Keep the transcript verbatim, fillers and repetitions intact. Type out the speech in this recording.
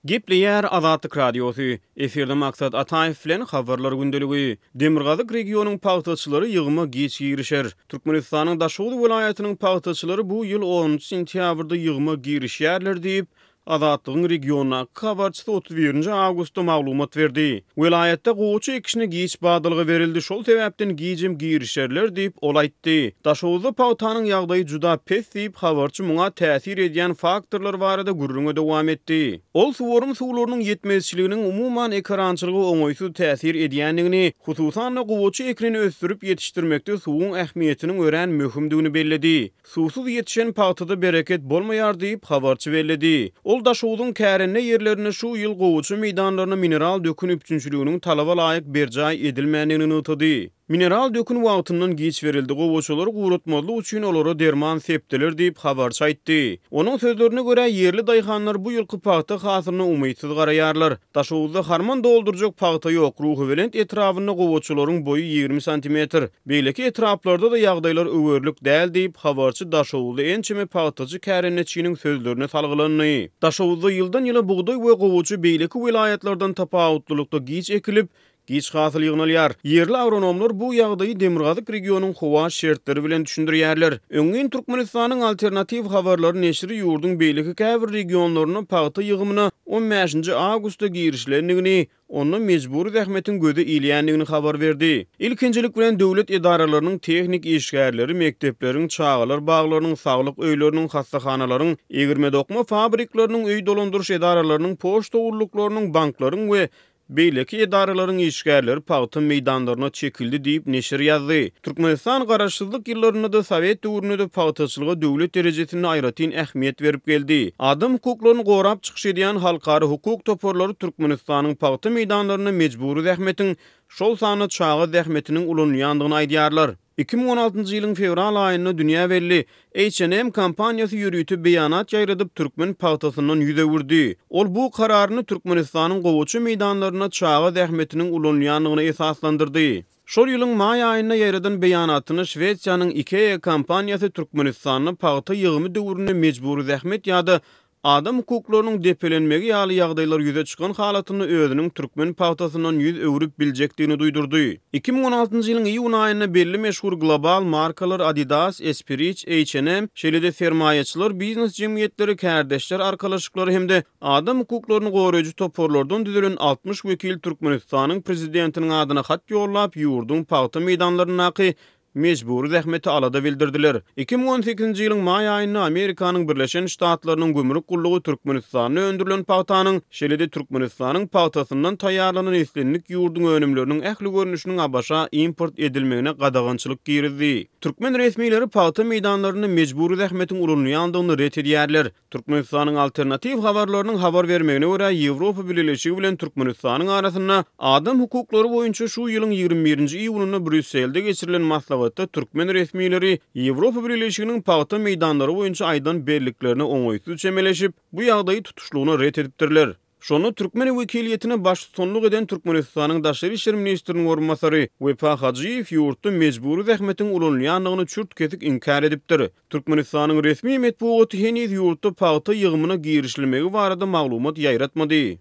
Gepleýär Azatlyk Radiosy. Efirde Maksat Ataýew bilen Habarlar gündeligi. Demirgazyk regionyň pagtaçylary ýygyma giç girişer. Türkmenistanyň Daşoguz welaýatynyň pagtaçylary bu ýyl onunjy sentýabrda ýygyma girişýärler diýip, Azatlygyň regiondaky habarçysy otuz birinji awgustda maglumat berdi. Welaýatda gowaça ekişine giç badalga berildi, şol sebäpden gijem girişerler diýip, ol aýtdy. Daşoguzda pagtanyň ýagdaýy juda pes diýip, habarçy muňa täsir edýän faktorlar barada gürrüňe dowam etdi. Ol suwarym suwlarynyň ýetmezçiliginiň umuman ekerançylyga oňaýsyz täsir edýändigini, hususan-da gowaça ekinini ösdürip ýetişdirmekde suwuň ähmiýetiniň örän möhümdigini belledi. Suwsuz ýetişen pagtada bereket bolmaýar diýip, habarçy belledi. Ol Daşogzuň kärende ýerlerinde şu ýyl gowaça meýdanlaryna mineral dökün üpjünçiliginiň talaba laýyk berjaý edilmändigini nygtady. Mineral dökün wagtyndan giç berildi, gowaçalary guratmazlyk üçin olara derman sepdiler diýip, habarçy aýtdy. Onuň sözlerine görä, ýerli daýhanlar bu ýylky pagta hasylyna umytsyz garaýarlar. Daşoguzda harman doldurjak pagta ýok, Ruhubelent etrabynda gowaçalaryň boýy ýigrimi santimetr. Beýleki etraplarda-da ýagdaýlar öwerlik däl diýip, habarçy Daşoguzda ençeme pagtaçy kärendeçiniň sözlerine salgylandy. Daşoguzda ýyldan-ýyla bugdaý we gowaça beýleki welaýatlardan tapawutlylykda giç ekilip, giç hasyl ýygnalýar. Ýerli agronomlar bu ýagdaýy demirgazyk regionyň howa şertleri bilen düşündirýärler. Öňňin Türkmenistanyň Alternatiw habarlary neşiri ýurduň beýleki käbir regionlarynda pagta ýygymyna on bäşinji awgustda girişilendigini, onda mejbury zähmetiň göze ilýändigini habar berdi. Ilkinjilik bilen döwlet edaralarynyň tehnik işgärleri, mekdepleriň, çagalar baglarynyň, saglyk öýleriniň, hassahanalaryň, egirme-dokma fabrikleriniň, öý dolandyryş edaralarynyň, poçta gulluklarynyň, banklaryň we beýleki edaralaryň işgärleri pagta meýdanlaryna çekildi diýip, neşir ýazdy. Türkmenistan garaşsyzlyk ýyllarynda-da, sowet döwründe-de pagtaçylyga döwlet derejesinde aýratyn ähmiýet berip geldi. Adam hukuklaryny gorap çykyş edýän halkara hukuk toparlary Türkmenistanyň pagta meýdanlarynda mejbury zähmetiň, şol sanda çaga zähmetiniň ulanylýandygyny aýdýarlar. Iki müň on altynjy ýylyň fewral aýynda dünýä belli H and M kompaniýasy ýörite beýanat ýaýradyp, türkmen pagtasyndan ýüz öwürdi. Ol bu kararyny Türkmenistanyň gowaça meýdanlarynda çaga zähmetiniň ulanylýandygyna esaslandyrdy. Şol ýylyň maý aýynda ýaýradan beýanatyny Şwesiýanyň IKEA kompaniýasy Türkmenistanda pagta ýygymy döwründe mejbury zähmet ýa-da adam hukuklarynyň depelenmegi ýaly ýagdaýlar ýüze çykan halatynda özüniň türkmen pagtasyndan ýüz öwrüp biljekdigini duýdurdy. Iki müň on altynjy ýylyň iýun aýynda belli meşhur global markalar Adidas, Esprit, H and M, şeýle-de sermaýaçylar, biznes jemgyýetleri, kärdeşler arkalaşyklary hem-de adam hukuklaryny goraýjy toparlardan düzülen altmyş wekil Türkmenistanyň prezidentiniň adyna hat ýollap, ýurduň pagta meýdanlaryndaky mejbury zähmeti alada bildirdiler. Iki müň on sekizinji ýylyň maý aýynda Amerikanyň Birleşen Ştatlarynyň gümrük gullugy Türkmenistanda öndürilen pagtanyň, şeýle-de Türkmenistanyň pagtasyndan taýýarlanan islendik ýurduň önümleriniň ähli görnüşiniň A B Ş-a import edilmegine gadagançylyk girizdi. Türkmen resmileri pagta meýdanlarynda mejbury zähmetiň ulanylýandygyny ret edýärler. Türkmenistanyň alternatiw habarlarynyň habar bermegine görä, Ýewropa Bileleşigi bilen Türkmenistanyň arasynda adam hukuklary boýunça şu ýylyň ýigrimi birinji iýunynda Brýusselde geçirilen maslahatda türkmen resmileri Ýewropa Bileleşiginiň pagta meýdanlary boýunça aýdan belliklerine oňaýsyz çemeleşip, bu ýagdaýy tutuşlygyna ret edipdirler. Şonda türkmen wekiliýetine baştutanlyk eden Türkmenistanyň Daşary işler ministriniň orunbasary Wepa Hajyýew ýurtda mejbury zähmetiň ulanylýandygyny çürt-kesik inkär edipdir. Türkmenistanyň resmi metbugaty heniz ýurtda pagta ýygymyna girişilmegi barada maglumat ýaýratmady.